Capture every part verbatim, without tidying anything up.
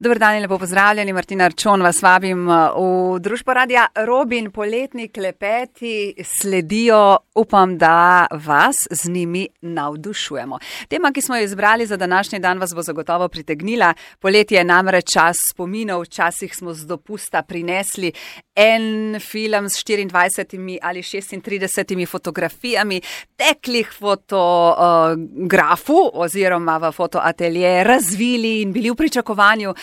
Dober dan in lepo pozdravljeni, Martina Arčon, vas vabim v družbo Radia Robin. Poletni klepeti sledijo, upam, da vas z njimi navdušujemo. Tema, ki smo jo izbrali za današnji dan, vas bo zagotovo pritegnila. Poletje je namreč čas spominov, včasih smo z dopusta prinesli en film s štiriindvajsetimi ali šestintridesetimi fotografijami, teklih fotografu oziroma v fotoatelje, razvili in bili v pričakovanju,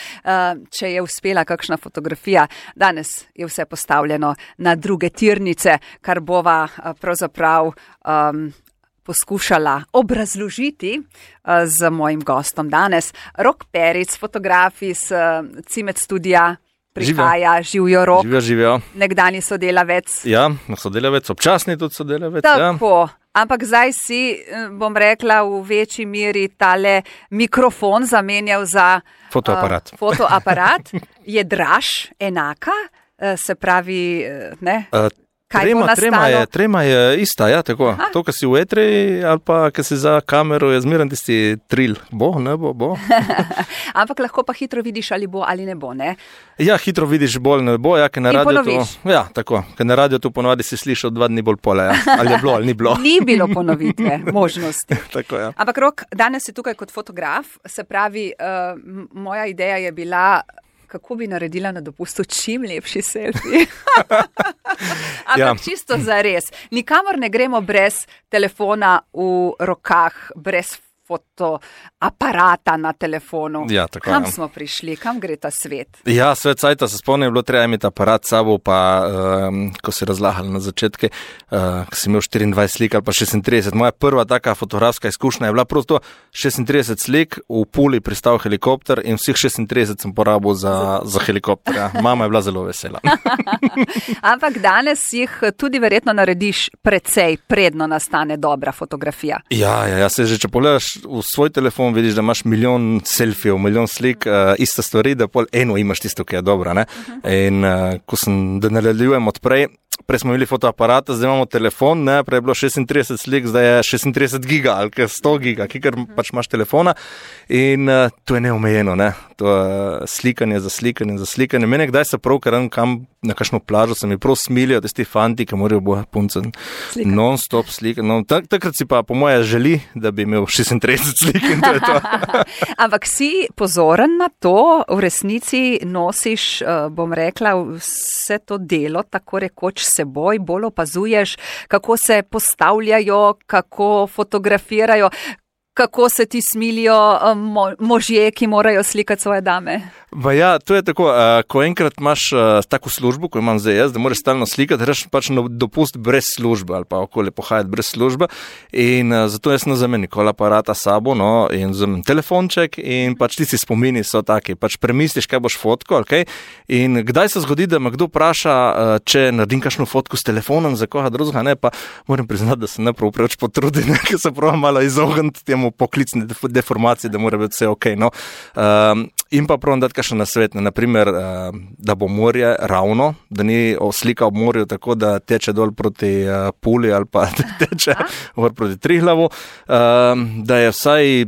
če je uspela kakšna fotografija. Danes je vse postavljeno na druge tirnice, kar bova pravzaprav um, poskušala obrazložiti uh, z mojim gostom danes. Rok Peric, fotograf iz uh, Cimet studija, prihaja, živijo Rok. Živijo, živijo. Nekdanji sodelavec. Ja, sodelavec, občasni tudi sodelavec. Tako. Ja. Ampak zdaj si, bom rekla, v večji meri tale mikrofon zamenjal za fotoaparat. Uh, fotoaparat. Je draž enaka, uh, se pravi, ne? Uh, Kaj trema, trema, je, trema je ista, ja, tako. Aha. To, kar si v etri ali pa, kar si za kamero, je zmeren tisti tril. Bo, ne bo, bo. Ampak lahko pa hitro vidiš, ali bo ali ne bo, ne? Ja, hitro vidiš, bolj ne bo, ja, ker na radio to... Ja, tako, ker na radio to ponovadi si slišal dva dni bolj pole, ja. Ali je bilo, ali ni bilo. Ni bilo ponovitve, možnosti. Tako, ja. Ampak Rok, danes si tukaj kot fotograf, se pravi, uh, moja ideja je bila, kako bi naredila na dopustu čim lepši selfie. Ampak ja. Čisto zares. Nikamor ne gremo brez telefona v rokah, brez fotoaparata na telefonu. Ja, tako, kam ja. smo prišli? Kam gre ta svet? Ja, svet cajta, se spomnim, je bilo treba imeti aparat s sabo, pa um, ko si razlahali na začetke, uh, ko si imel štiriindvajset slik ali pa šestintrideset. Moja prva taka fotografska izkušnja je bila prosto šestintrideset slik, v Puli pristal helikopter in vseh šestintrideset sem porabil za, za helikopter. Ja. Mama je bila zelo vesela. Ampak danes jih tudi verjetno narediš precej, predno nastane dobra fotografija. Ja, ja, ja, se že, če pogledaš v svoj telefon, vidiš, da imaš milijon selfijev, milijon slik, uh, ista stvari, da pol eno imaš tisto, ki je dobra, ne? Uh-huh. In uh, ko sem, da nadaljujem odprej, prej smo imeli fotoaparata, zdaj imamo telefon, ne, prej je bilo šestintrideset slik, zdaj je šestintrideset giga ali sto giga, kikar pač imaš telefona in uh, to je neomejeno, ne, to je uh, slikanje za slikanje za slikanje. Mene kdaj se prav, ker kam na kakšno plažo se mi prav smilijo, da ti fanti, ki morajo bo punce non-stop slikati. No, tak, takrat si pa po moje želi, da bi imel šestintrideset slik in to je to. Ampak si pozoren na to, v resnici nosiš, uh, bom rekla, vse to delo, tako rekoč seboj, bolj opazuješ, kako se postavljajo, kako fotografirajo, kako se ti smilijo mo- možje, ki morajo slikati svoje dame. Ba ja, to je tako, uh, ko enkrat imaš uh, tako službo, ko imam zdaj jaz, da moraš stalno slikati, reš pač na dopust brez službe ali pa okoli pohajati brez službe in uh, zato jaz ne vzamem nikoli aparata sabo, no, in vzamem telefonček in pač ti si spomini so taki, pač premisliš, kaj boš fotko, ok, in kdaj se zgodi, da me kdo vpraša, uh, če naredim kakšno fotko s telefonom za koga drugega, ne, pa moram priznati, da se ne prav preveč potrudim, ker se prav malo izogniti temu poklicni deformaciji, da mora biti vse ok, no, um, in pa prav dati še na svet, naprimer, da bo morje ravno, da ni slika ob morju tako, da teče dol proti Puli ali pa teče gor proti Triglavu, da je vsaj,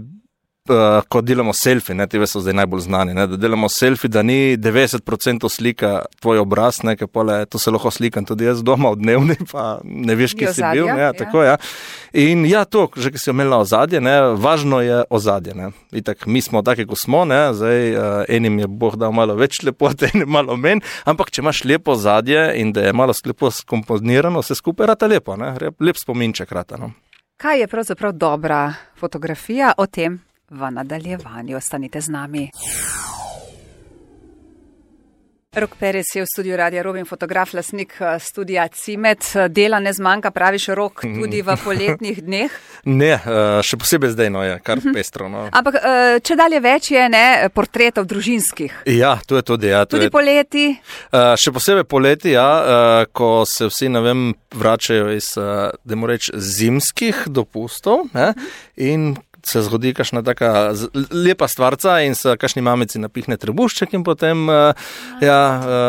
ko delamo selfie, ne, ti so zdaj najbolj znani, ne, da delamo selfie, da ni devetdeset procentov slika tvoj obraz, ne, ker pole, to se lahko slikam tudi jaz doma v dnevni, pa ne veš, kje si bil, ne, ja, tako, ja. In ja, to, že ki si omenila ozadje, ne, važno je ozadje, ne. Itak, mi smo taki, ko smo, ne, zdaj uh, enim je Bog dal malo več lepote, enim malo menj, ampak če imaš lepo ozadje in da je malo lepo skomponirano, se skupaj rata lepo, ne, lep spominček rata, no. Kaj je pravzaprav dobra fotografija? O tem v nadaljevanju. Ostanite z nami. Rok Peric je v studiu Radia Robin, fotograf, lastnik studija Cimet. Dela ne zmanjka, praviš, Rok, tudi v poletnih dneh? Ne, še posebej zdaj, no, je kar pestro. No. Ampak če dalje več je, ne, portretov družinskih? Ja, to je tudi, ja. To tudi je, poleti? Še posebej poleti, ja, ko se vsi, ne vem, vračajo iz, da moram reči, zimskih dopustov, ne, in se zgodi kakšna taka lepa stvarca in se kakšni mamici napihne trebušček in potem uh, ja,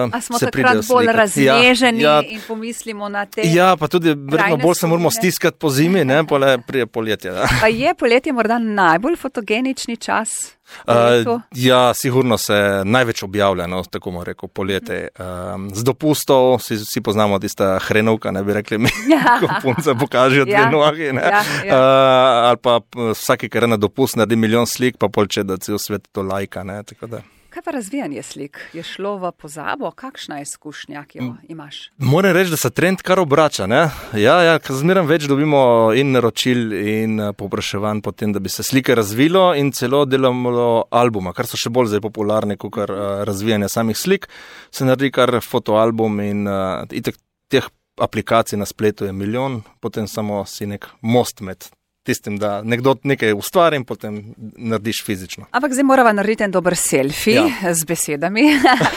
uh, A smo se takrat bolj razneženi ja, ja, in pomislimo na te Ja, pa tudi verjetno bolj se moramo stiskati po zimi, ne, pole prije poletje. Ja. Pa je poletje morda najbolj fotogenični čas? Uh, ja, sigurno se največ objavlja, no, tako bomo rekel, polete. Um, z dopustov, vsi, vsi poznamo tista hrenovka, ne bi rekli mi, ko punce pokažejo dve ja. nogi, ne. Ja, ja. Uh, ali pa vsaki, kar je na dopust, naredi milijon slik, pa polče, da cel svet to lajka, ne, tako da. Kaj pa razvijanje slik? Je šlo v pozabo? Kakšna je izkušnja, ki jo imaš? Moram reči, da se trend kar obrača, ne? Ja, ja, zmeraj več dobimo in naročil in povpraševanj po tem, da bi se slike razvilo in celo delamo albuma, kar so še bolj zdaj popularni, kot kar razvijanje samih slik. Se naredi kar fotoalbum in uh, itek teh aplikacij na spletu je milijon, potem samo si nek most med tistim, da nekdo nekaj ustvari in potem narediš fizično. Ampak zdaj morava narediti en dober selfie ja. z besedami.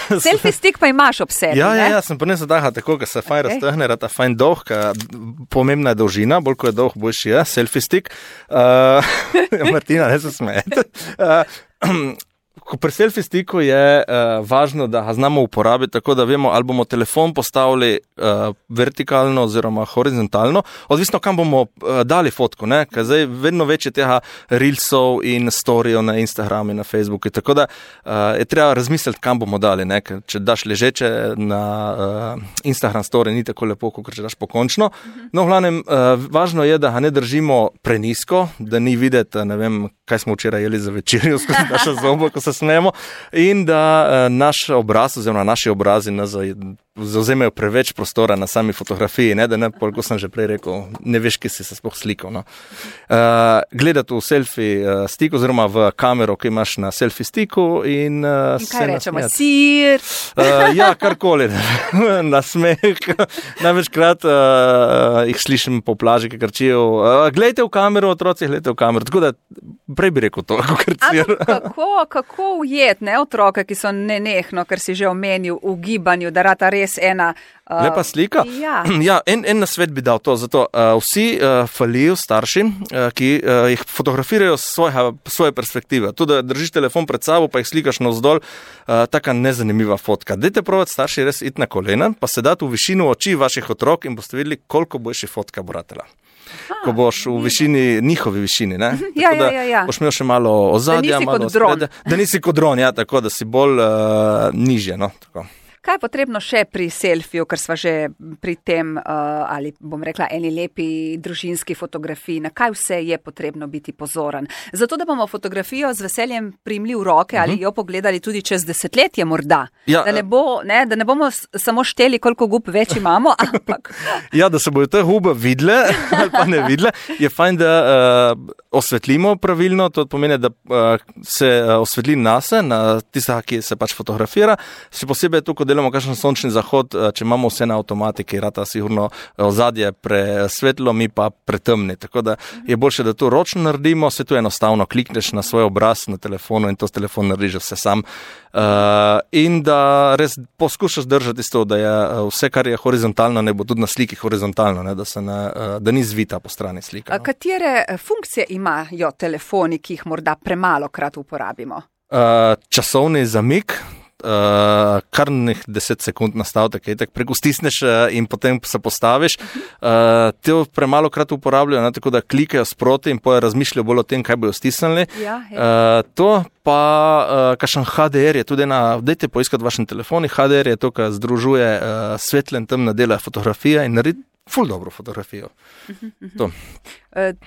Selfie stik pa imaš ob sebi, ja, ne? Ja, ja, sem pa nesel daha tako, ka se fajn okay. raztehne, rata fajn dolg, ka pomembna je dolžina, bolj ko je dolg, boljši je, selfie stik. Uh, Martina, ne se smejete. Uh, Pri selfie stiku je uh, važno, da ga znamo uporabiti tako, da vemo, ali bomo telefon postavili uh, vertikalno oziroma horizontalno, odvisno kam bomo uh, dali fotko, ne, ker zdaj vedno več je tega reelsov in storijev na Instagramu in na Facebooku, tako da uh, je treba razmisliti, kam bomo dali, ne, ker če daš ležeče na uh, Instagram story, ni tako lepo, kot če daš pokončno. No, v glavnem, uh, važno je, da ga ne držimo prenisko, da ni videti, ne vem, kaj smo včeraj jeli za večerjo, skozi naša zobo, ko se smemo, in da uh, naš obraz, oziroma naši obrazi nas zauzemejo preveč prostora na sami fotografiji, ne, da ne, koliko sem že prej rekel, ne veš, ki si se sploh slikal. No. Uh, gledati v selfie uh, stiku, oziroma v kamero, ki imaš na selfie stiku in... Uh, in kaj rečemo, sir? Uh, ja, karkoli, na smeh. Največkrat uh, jih slišim po plaži, ki krčijo, uh, gledajte v kamero, otroci, gledajte v kamero, tako da prej bi rekel to, kako krcijo. Kako, kako ujet, ne, otroke, ki so nenehno, ker si že omenil v gibanju, da rata res ena... Uh, Lepa slika? Ja. ja en, en nasvet bi dal to, zato uh, vsi uh, falijo starši, uh, ki uh, jih fotografirajo z svoje perspektive. To, da držiš telefon pred sabo, pa jih slikaš navzdol, uh, taka nezanimiva fotka. Dajte probati starši res iti na kolena, pa se dati v višino oči vaših otrok in boste videli, koliko boljši fotka bo ratela. Aha, ko boš v višini, njihovi višini, ne? Ja, tako, ja, ja, ja. Boš imel še malo ozadja, malo sprede. Da nisi kot dron, ja, tako da si bolj uh, nižje, no, tako. Kaj je potrebno še pri selfiju, ker sva že pri tem, uh, ali bom rekla, eni lepi družinski fotografiji, na kaj vse je potrebno biti pozoren? Zato, da bomo fotografijo z veseljem primli v roke ali uh-huh. jo pogledali tudi čez desetletje morda. Ja, da, ne bo, ne, da ne bomo samo šteli, koliko gub več imamo, ampak... Ja, da se bojo te gube vidle ali pa ne vidle, je fajn, da uh, osvetlimo pravilno, to pomeni, da uh, se uh, osvetli nase, na tistega, ki se pač fotografira, še posebej tukaj delamo kakšen sončni zahod, če imamo vse na avtomatiki, rata sigurno ozadje presvetlo, mi pa pretemni. Tako da je boljše, da to ročno naredimo, se to enostavno klikneš na svoj obraz na telefonu in to s telefon narediš vse sam. Uh, in da res poskušaš držati isto, da je vse, kar je horizontalno, ne bo tudi na sliki horizontalno, ne, da, se ne, da ni zvita po strani slika. No. Katere funkcije imajo telefoni, ki jih morda premalo krat uporabimo? Uh, časovni zamik, Uh, kar nek deset sekund nastavite, kaj tako preko stisneš in potem se postaviš. Uh, te premalo krat uporabljajo, ne, tako da klikajo sproti in poje razmišljajo bolj o tem, kaj bojo stisnili. Ja, ja. Uh, to pa uh, kakšen H D R je tudi ena, dajte poiskati v vašem telefoni, H D R je to, kar združuje uh, svetle in temne dele fotografije in naredi ful dobro fotografijo. To.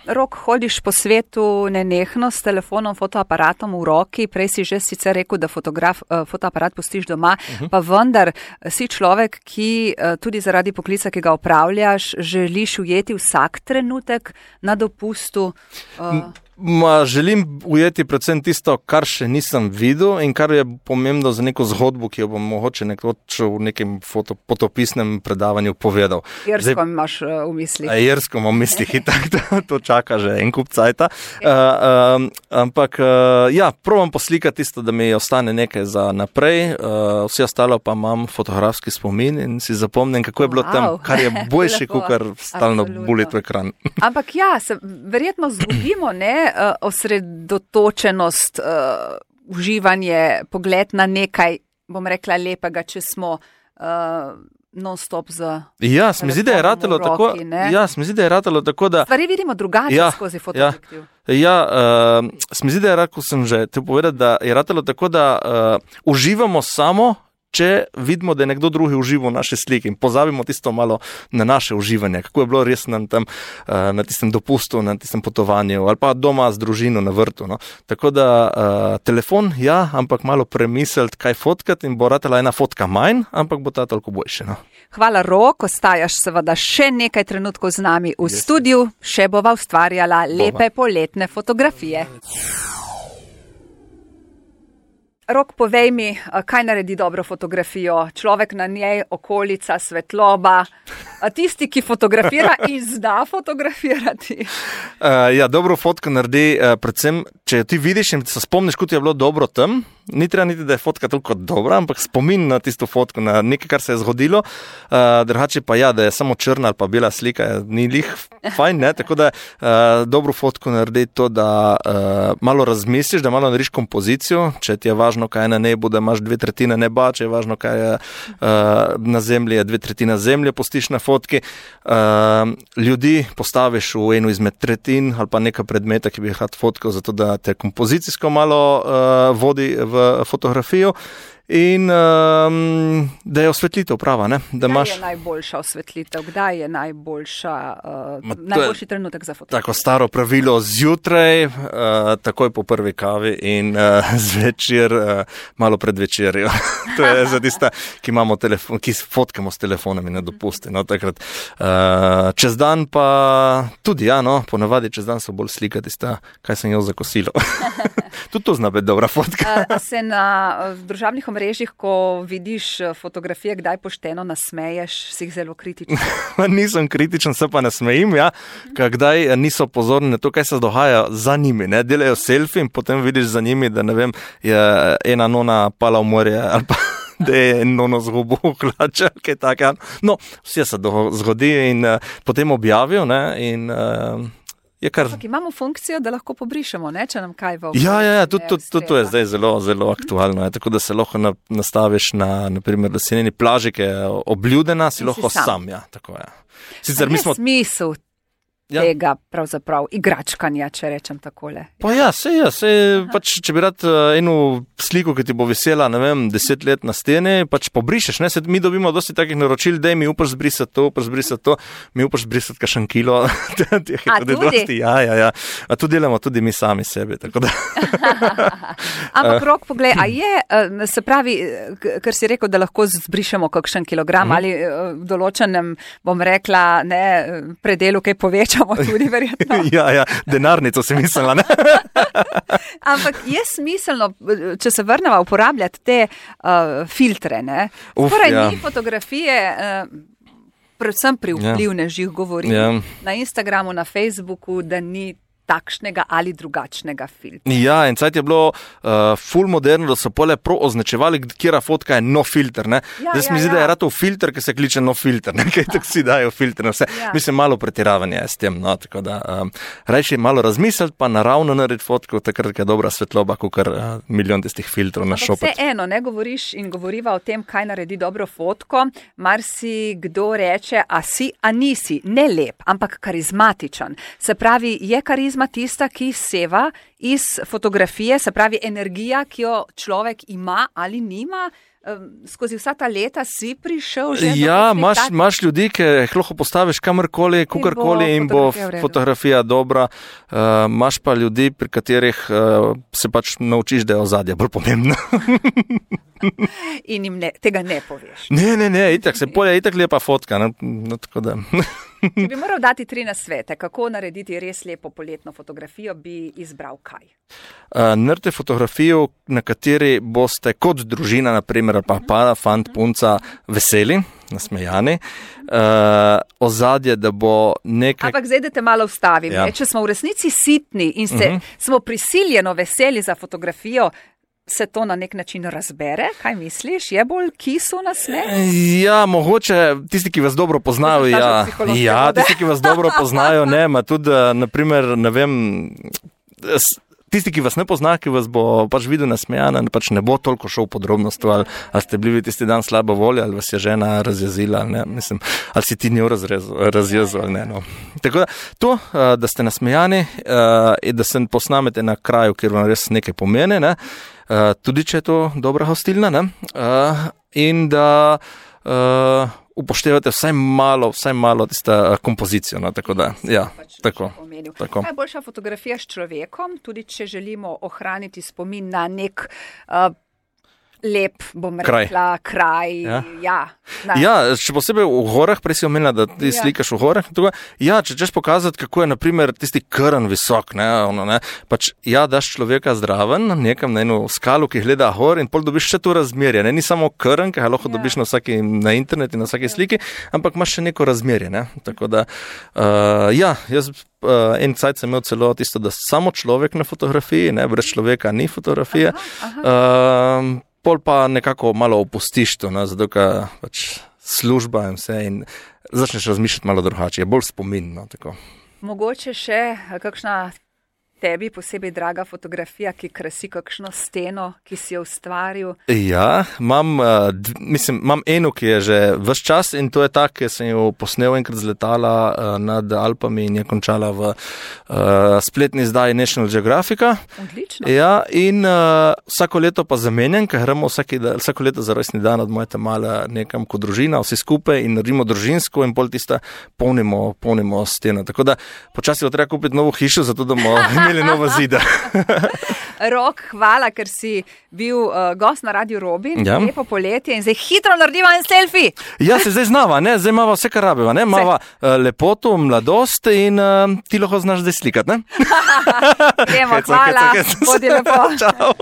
Rok, hodiš po svetu nenehno s telefonom, fotoaparatom v roki, prej si že sicer rekel, da fotograf, fotoaparat pustiš doma, uh-huh. pa vendar si človek, ki tudi zaradi poklica, ki ga opravljaš, želiš ujeti vsak trenutek na dopustu. Uh... Ma, želim ujeti predvsem tisto, kar še nisem videl in kar je pomembno za neko zgodbo, ki jo bom mogoče nekdo v nekem foto, potopisnem predavanju povedal. Jersko Zdaj, imaš uh, v mislih. Jersko imam v mislih in tako, to, to čaka že en kup cajta. Uh, uh, ampak, uh, ja, probam poslikati tisto, da mi ostane nekaj za naprej, uh, vse ostalo pa imam fotografski spomin in si zapomnim, kako je bilo wow. tam, kar je boljši, kot kar stalno bulit v ekran. Ampak ja, se verjetno zgubimo, ne? Uh, osredotočenost, uh, uživanje, pogled na nekaj, bom rekla, lepega, če smo uh, non-stop z Ja, se mi zdi, da je ratalo tako, ja, se mi zdi, da je ratalo tako, da... Stvari vidimo drugače ja, skozi fotoobjektiv. Ja, ja uh, se mi zdi, da je, ko sem že te povedal, da je ratalo tako, da uh, uživamo samo, če vidimo, da je nekdo drugi užival v naše slike in pozabimo tisto malo na naše uživanje, kako je bilo res na, tam, na tistem dopustu, na tistem potovanju ali pa doma z družino na vrtu. No. Tako da uh, telefon, ja, ampak malo premisliti, kaj fotkati in bo ratala ena fotka manj, ampak bo ta toliko boljše. No. Hvala, Rok, ostajaš seveda še nekaj trenutkov z nami v yes. studiu, še bova ustvarjala lepe bova. Poletne fotografije. Rok, povej mi, kaj naredi dobro fotografijo? Človek na njej, okolica, svetloba, tisti, ki fotografira in zna fotografirati. Uh, ja, dobro fotko naredi, uh, predvsem, če ti vidiš in se spomniš, kot je bilo dobro tam, ni treba niti, da je fotka toliko dobra, ampak spomin na tisto fotko, na nekaj, kar se je zgodilo. Uh, drugače pa ja, da je samo črna ali pa bela slika, ni lih fajn, ne? Tako da uh, dobro fotko naredi to, da uh, malo razmisliš, da malo narediš kompozicijo, če ti je važno, kaj je na nebu, da imaš dve tretjine neba, če je važno, kaj je uh, na zemlji, dve tretjine zemlje postiš na fotki. Uh, ljudi postaviš v eno izmed tretjin ali pa neka predmeta, ki bi jih rad fotkal, zato da te kompozicijsko malo uh, vodi v fotografijo. In um, da je osvetlitev prava. Ne? Da kdaj imaš... je najboljša osvetlitev? Kdaj je najboljša, uh, najboljši trenutek za fotografijo? Tako staro pravilo zjutraj, uh, takoj po prvi kavi in uh, zvečer, uh, malo pred večerjo. To je za tista, ki imamo telefon, ki fotkamo s telefonami na dopusti. No, takrat, uh, čez dan pa tudi, ja, no, ponavadi čez dan so bolj slika tista, kaj sem jo za kosilo. Tudi to zna biti dobra fotka. uh, se na uh, družabnih mrežih, ko vidiš fotografije, kdaj pošteno nasmeješ, si jih zelo kritičen? Nisem kritičen, se pa nasmejim, ja. Kdaj niso pozorni na to, kaj se dogaja za njimi. Ne? Delajo selfie in potem vidiš za njimi, da ne vem, je ena nona pala v morje ali pa da je nono zgubo hlača, kaj taka. No, vse se zgodi in uh, potem objavijo, ne, in uh, Kar... Imamo funkcijo, da lahko pobrišemo, ne, če nam kaj v okolju. Ja, ja, ja, tudi to, to je zdaj zelo, zelo aktualno. Je, tako da se lahko na, nastaviš na, naprimer, leseneni plaži, ki je obljudena, si in lahko si sam. sam ja, tako je. Sicer, je mi smo... smisel ja. tega pravzaprav igračkanja, če rečem takole. Pa ja, se je, se pač, če bi rad eno sliko, ki ti bo vesela, ne vem, deset let na steni, pač pobrišeš, ne, se mi dobimo dosti takih naročil, daj mi upaš zbrisati to, upaš zbrisati to, mi upaš zbrisati kakšen kilo. A tudi? Dosti, ja, ja, ja. A to delamo tudi mi sami sebi, tako da. Ampak Rok, poglej, a je, se pravi, ker si rekel, da lahko zbrišemo kakšen kilogram mm. ali v določenem, bom rekla, ne, predelu, kaj povečamo tudi verjetno. ja, ja, denarnico si mislila, ne? Ampak je smiselno, če se vrnemo uporabljati te uh, filtre, ne? Torej ja. Ni fotografije, uh, predvsem pri vplivnežih ja. govorim, ja. na Instagramu, na Facebooku, da ni takšnega ali drugačnega filtra. Ja, in cajt je bilo uh, full moderno, da so pole prav označevali, kjera fotka je no filter, ne? Ja, Zdaj ja, mi zdi, ja. da je ratov filter, ki se kliče no filter, ne? Kaj tako si dajo filter, vse. Ja. Mislim, malo pretiravanje je s tem, no, tako da um, rajši malo razmisliti, pa naravno narediti fotko, takrat je dobra svetloba, kakor uh, milijon tistih filtrov na šopati. Vse eno, ne govoriš in govoriva o tem, kaj naredi dobro fotko, mar si kdo reče, a si, a nisi, ne lep, ampak karizmatičen. Se pravi, je karizma tista, ki seva iz fotografije, se pravi energija, ki jo človek ima ali nima, skozi vsa ta leta si prišel že ja, do imaš, imaš ljudi, ki jih lahko postaviš kamorkoli, kukarkoli in bo fotografija, fotografija dobra. Uh, imaš pa ljudi, pri katerih uh, se pač naučiš, da je ozadje bolj pomembno. In jim ne, tega ne poveš. Ne, ne, ne, itak se polje, itak lepa fotka. No, no, tako da... Če bi moral dati tri nasvete, kako narediti res lepo poletno fotografijo, bi izbral kaj? Uh, Naredite fotografijo, na kateri boste kot družina, naprimer, pa pa fant, punca, veseli, nasmejani. Uh, ozadje, da bo nekaj... Ampak zdaj, da te malo vstavim. Ja. Če smo v resnici sitni in se, uh-huh. smo prisiljeno veseli za fotografijo, se to na nek način razbere? Kaj misliš? Je bolj kisu nasmeh? Ja, mogoče tisti, ki vas dobro poznajo, ja, ja, tisti, ki vas dobro poznajo, ne, ma tudi, naprimer, ne vem, tisti, ki vas ne pozna, ki vas bo pač videl nasmejana, pač ne bo toliko šel v podrobnost, ali, ali ste bili tisti dan slabo volje, ali vas je žena razjezila, ali, ne, mislim, ali si ti njo razjezil, ali ne. No. Tako da, to, da ste nasmejani in da se posnamete na kraju, kjer vam res nekaj pomeni, ne, tudi če je to dobra hostilna, ne, in da upoštevate vsaj malo, vsaj malo tista kompozicijo, no, tako da, ja, pač tako, tako. Kaj je boljša fotografija s človekom, tudi če želimo ohraniti spomin na nek uh, lep, bom kraj. rekla, kraj, ja. Ja, ja, še posebej v gorah, prej si omenila, da ti ja. slikaš v gorah, tako, ja, če češ pokazati, kako je, na primer, tisti krn visok, ne, ono, ne, pač, ja, daš človeka zdraven, nekam na eno skalu, ki gleda gor in pol dobiš še to razmerje, ne, ni samo krn, ki ga lahko ja. dobiš na vsaki, na internet in na vsaki ja. sliki, ampak imaš še neko razmerje, ne, tako da, uh, ja, jaz Uh, en cajt sem imel celo tisto, da samo človek na fotografiji, ne, brez človeka ni fotografije. Aha, aha. Uh, pol pa nekako malo opustiš to, ne, zato ker pač služba in vse in začneš razmišljati malo drugače, je bolj spomin. No, tako. Mogoče še kakšna tebi posebej draga fotografija, ki krasi kakšno steno, ki si jo ustvaril? Ja, imam, uh, mislim, imam eno, ki je že ves čas in to je ta, ki sem jo posnel enkrat z letala uh, nad Alpami in je končala v uh, spletni izdaji National Geographica. Odlično. Ja, in uh, vsako leto pa zamenjam, ker gremo vsaki, vsako leto za rojstni dan od moje tamale nekam kot družina, vsi skupaj in naredimo družinsko in pol tista polnimo, polnimo steno. Tako da počasi bo treba kupiti novo hišo, zato da bomo imeli nova zida. Rok, hvala, ker si bil uh, gost na Radiu Robin, ja. lepo poletje in zdaj hitro narediva en selfie. Ja, se zdaj znava, ne? Zdaj imava vse, kar rabiva, ne? Imava uh, lepoto, mladost in uh, ti lahko znaš zdaj slikati, ne? Demo, hvala, bodi lepo. Čau.